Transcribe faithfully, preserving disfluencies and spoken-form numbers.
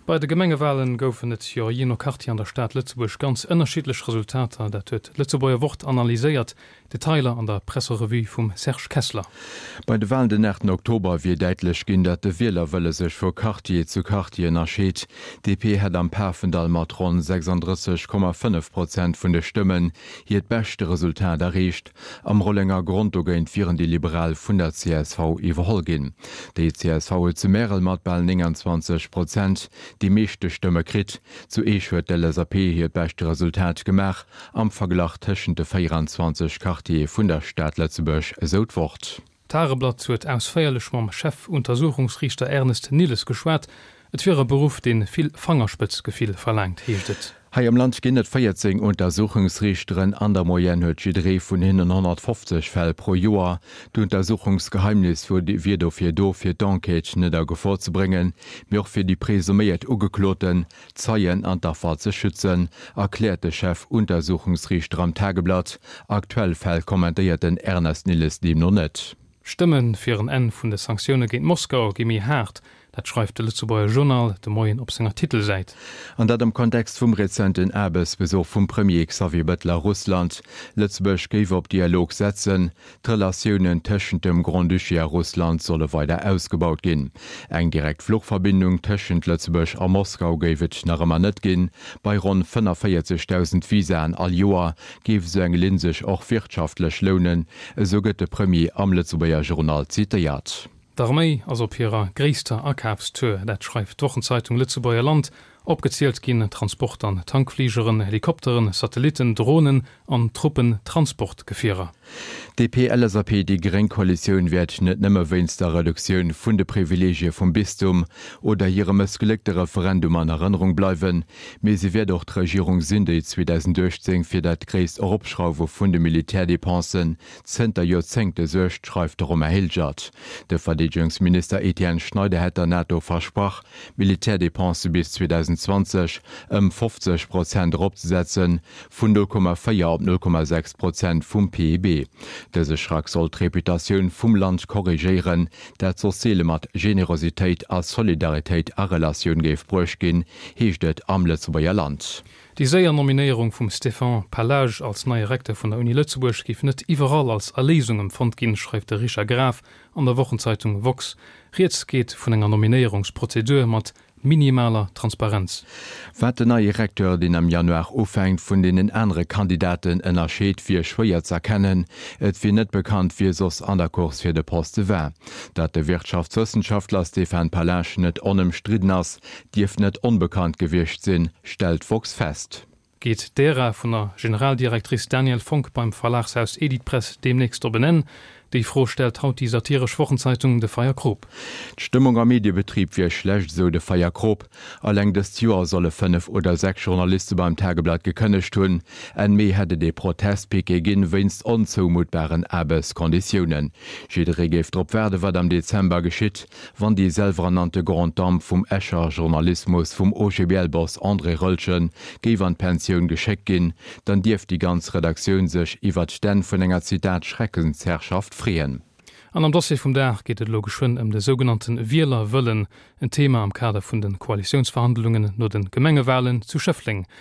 Bei de Gemengewalen goufen et jo jee no Quartier an der Stad Lëtzebuerg ganz ënnerschiddlech Resultater. Dat huet d'Lëtzebuerger Wort analyséiert. Detailer an der Presserevue vum Serge Kessler. Bei de Walen den aachten Oktober wier däitlech ginn, datt de Wielerwëlle sech vu Quartier zu Quartier ënnerscheet. D P hätt am Pafendall mat ronn sechsanddrësseg Komma fënnef Prozent vun de Stëmmen hiert beschte Resultat erreecht. Am Rollengergronn dogéint wieren déi Liberal vun der C S V iwwerholl ginn. Déi C S V huet zu Märel mat bal nénganzwanzeg Prozent déi meeschte Stëmme kritt. Zu Eech huet d'L S A P hiert beschte Resultat gemaach am Verglach tëschent de véieranzwanzeg Quartiere vun der Stad Lëtzebuerg, esou d'Wort. D'Tageblatt huet ausféierlech mam Chefuntersuchungsriichter Ernest Nilles geschwat. Et wier e Beruff, dee vill Fangerspëtzgefill verlaangt, heescht et. Hei am Land ginn et véierzéng Untersuchungsriichteren, an der Moyenne huet jidderee vun hinnen honnertfofzeg Fäll pro Joer. D'Untersuchungsgeheimnis wier dofir do, fir d'Enquête net a Gefor ze bréngen, mee och fir déi presuméiert Ugekloten, d'Zeien an d'Affer ze schützen, erkläert de Chef-Untersuchungsriichter am Tageblatt. Aktuell Fäll kommentéiert den Ernest Nilles deemno net. D'Stëmme fir en Enn vun de Sanktioune géint Moskau gi méi haart, dat schreift de Lëtzebuerger Journal de Moien op senger Titelsäit. An dat am Kontext vum rezenten Aarbechtsbesuch vum Premier Xavier Bettel a Russland. Lëtzebuerg géif op Dialog setzen, d'Relatiounen tëschent dem Grand-Duché a Russland solle weider ausgebaut ginn. Eng direkt Fluchverbindung tëschent Lëtzebuerg a Moskau géif et nach ëmmer net ginn. Bei ronn fënnefvéierzegdausend Visaen all Joer géif esou eng Linn sech och wirtschaftlech lounen, esou gëtt de Premier am Lëtzebuerger Journal zitéiert. D'Arméi ass op hirer gréisster Akafstour, dat schreift d'Wochenzeitung Lëtzebuerger Land. Opgezielt ginn Transport an Tankfligeren, Helikopteren, Satellitten, Dronen an Truppentransportgefierer. D P L S A P déi gréng Koalitioun wäert net nëmme wéinst der Reduktioun vun de Privileegie vum Bistum oder hirem mëssgléckte Referendum an Erënnerung bleiwen, mee si wäert och d'Regierung sinn, déi zweedausendachtzéng fir dat gréisst Eropschrauwe vun de Militärdepensen zënter Joerzéngte suergt, schreift de Romain Hilgert. De Verdeedegungsminister Etienne Schneider hätt der NATO versprach, d'Militärdepense bis zweedausendzwanzeg ëm fofzeg Prozent eropzesetzen, vun null Komma véier op null Komma sechs Prozent vum P I B. Dëse Schrack soll d'Reputatioun vum Land korrigéieren, dat soss seele mat Generositéit a Solidaritéit a Relatioun géif bruecht ginn, heescht et am Lëtzebuerger Land. Déi séier Nominéierung vum Stéphane Pallage als neie Recteur vun der Uni Lëtzebuerg géif net iwwerall als Erléisung empfonnt ginn, schreift de Richard Graf an der Wochenzeitung Woxx. Rieds geet vun enger Nominéierungsprozedur mat minimaler Transparenz. Wat den neie Recteur, deen am Januar ufänkt, vun deenen anere Kandidaten ënnerscheet, wier schwéier z'erkennen. Et wier net bekannt, wie soss an der Course fir de Poste war. Datt de Wirtschaftswëssenschaftler Stéphane Pallage net onëmstridden ass, dierft net onbekannt gewiescht sinn, stellt d'woxx fest. Geet d'Ära vun der Generaldirectrice Danièle Fonck beim Verlagshaus Editpress deemnächst op en Enn? Déi Fro stellt haut déi satiresch Wochenzeitung De Feierkrop. D'Stëmmung am Mediebetrib wier schlecht, esou de Feierkrop. Alleng dëst Joer solle fënnef oder sechs Journaliste beim Tageblatt gekënnegt hunn. Enn Mee hätt et ee Protestpiquet ginn, wéinst onzoumuttbaren Aarbechtskonditiounen. Jidderee géif drop waarden, wat am Dezember geschitt, wann déi selwerernannte Grande Dame vum Escher Journalismus vum O G B L-Boss André Roeltgen géif an d'Pensioun geschéckt ginn, dann dierft déi ganz Redaktioun sech iwwert d'Enn vun enger, Zitat, Schreckensherrschaft freeën. An am Dossier vum Dag geet et elo geschwënn ëm de sougenannte Wielerwëllen, en Thema am Kader vun de Koalitiounsverhandlungen no de Gemengewalen zu Schëffleng.